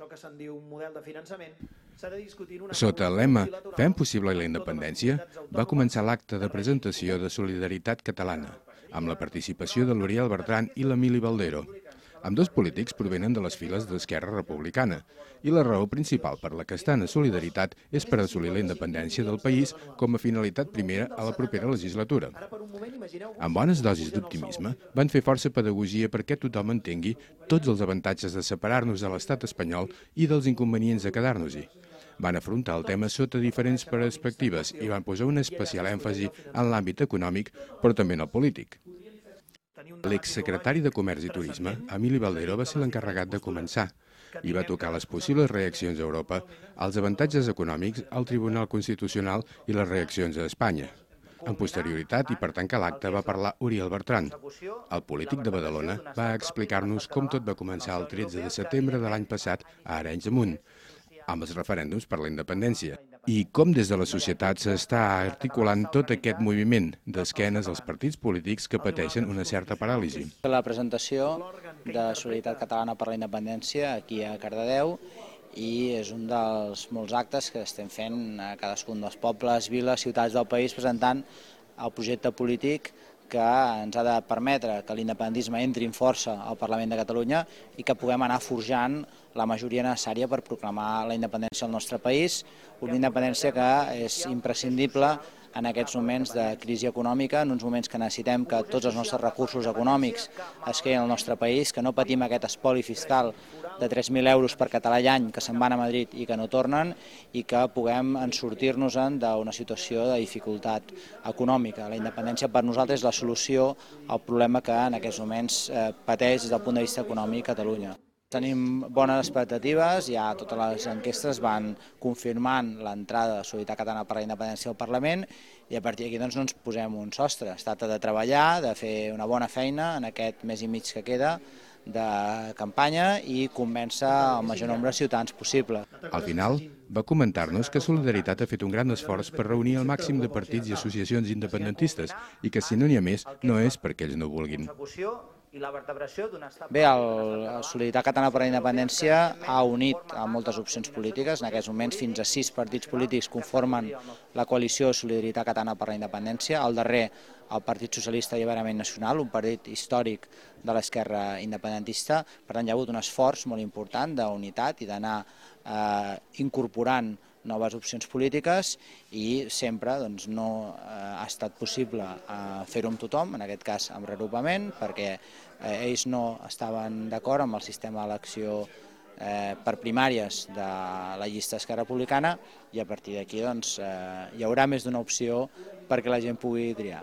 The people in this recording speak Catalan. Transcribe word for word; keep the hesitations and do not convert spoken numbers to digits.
Això que se'n diu un model de finançament s'ha de discutir en una Sota el lema «Fem possible la independència», va començar l'acte de presentació de Solidaritat Catalana, amb la participació de l'Uriel Bertran i l'Emili Baldero. Ambdós polítics provenen de les files d'Esquerra Republicana i la raó principal per la que estan a Solidaritat és per assolir la independència del país com a finalitat primera a la propera legislatura. Amb bones dosis d'optimisme, van fer força pedagogia perquè tothom entengui tots els avantatges de separar-nos de l'estat espanyol i dels inconvenients de quedar-nos-hi. Van afrontar el tema sota diferents perspectives i van posar un especial èmfasi en l'àmbit econòmic, però també en el polític. L'exsecretari de Comerç i Turisme, Emili Baldero, va ser l'encarregat de començar i va tocar les possibles reaccions a Europa, els avantatges econòmics al Tribunal Constitucional i les reaccions a Espanya. En posterioritat, i per tancar l'acte, va parlar Uriel Bertran. El polític de Badalona va explicar-nos com tot va començar el tretze de setembre de l'any passat a Arenys de Munt, amb els referèndums per la independència, i com des de la societat s'està articulant tot aquest moviment d'esquenes als partits polítics que pateixen una certa paràlisi. La presentació de Solidaritat Catalana per la Independència aquí a Cardedeu i és un dels molts actes que estem fent a cadascun dels pobles, viles, ciutats del país presentant el projecte polític que ens ha de permetre que l'independentisme entri en força al Parlament de Catalunya i que puguem anar forjant la majoria necessària per proclamar la independència del nostre país, una independència que és imprescindible en aquests moments de crisi econòmica, en uns moments que necessitem que tots els nostres recursos econòmics es quedin al nostre país, que no patim aquest espoli fiscal de tres mil euros per català i any que se'n van a Madrid i que no tornen i que puguem sortir-nos-en d'una situació de dificultat econòmica. La independència per nosaltres és la solució al problema que en aquests moments pateix des del punt de vista econòmic Catalunya. Tenim bones expectatives, ja totes les enquestes van confirmant l'entrada de Solidaritat Catalana per la Independència al Parlament i a partir d'aquí doncs, no ens posem un sostre. Es tracta de treballar, de fer una bona feina en aquest mes i mig que queda de campanya i convèncer el major nombre de ciutadans possible. Al final, va comentar-nos que Solidaritat ha fet un gran esforç per reunir el màxim de partits i associacions independentistes i que si no n'hi ha més, no és perquè ells no vulguin. Bé, el Solidaritat Catalana per la Independència ha unit a moltes opcions polítiques. En aquests moments fins a sis partits polítics conformen la coalició Solidaritat Catalana per la Independència. Al darrer, el Partit Socialista i Alliberament Nacional, un partit històric de l'esquerra independentista. Per tant, hi ha hagut un esforç molt important d'unitat i d'anar eh, incorporant noves opcions polítiques i sempre doncs, no eh, ha estat possible eh, fer-ho amb tothom, en aquest cas amb reagrupament, perquè eh, ells no estaven d'acord amb el sistema d'elecció eh, per primàries de la llista d'Esquerra Republicana i a partir d'aquí doncs, eh, hi haurà més d'una opció perquè la gent pugui triar.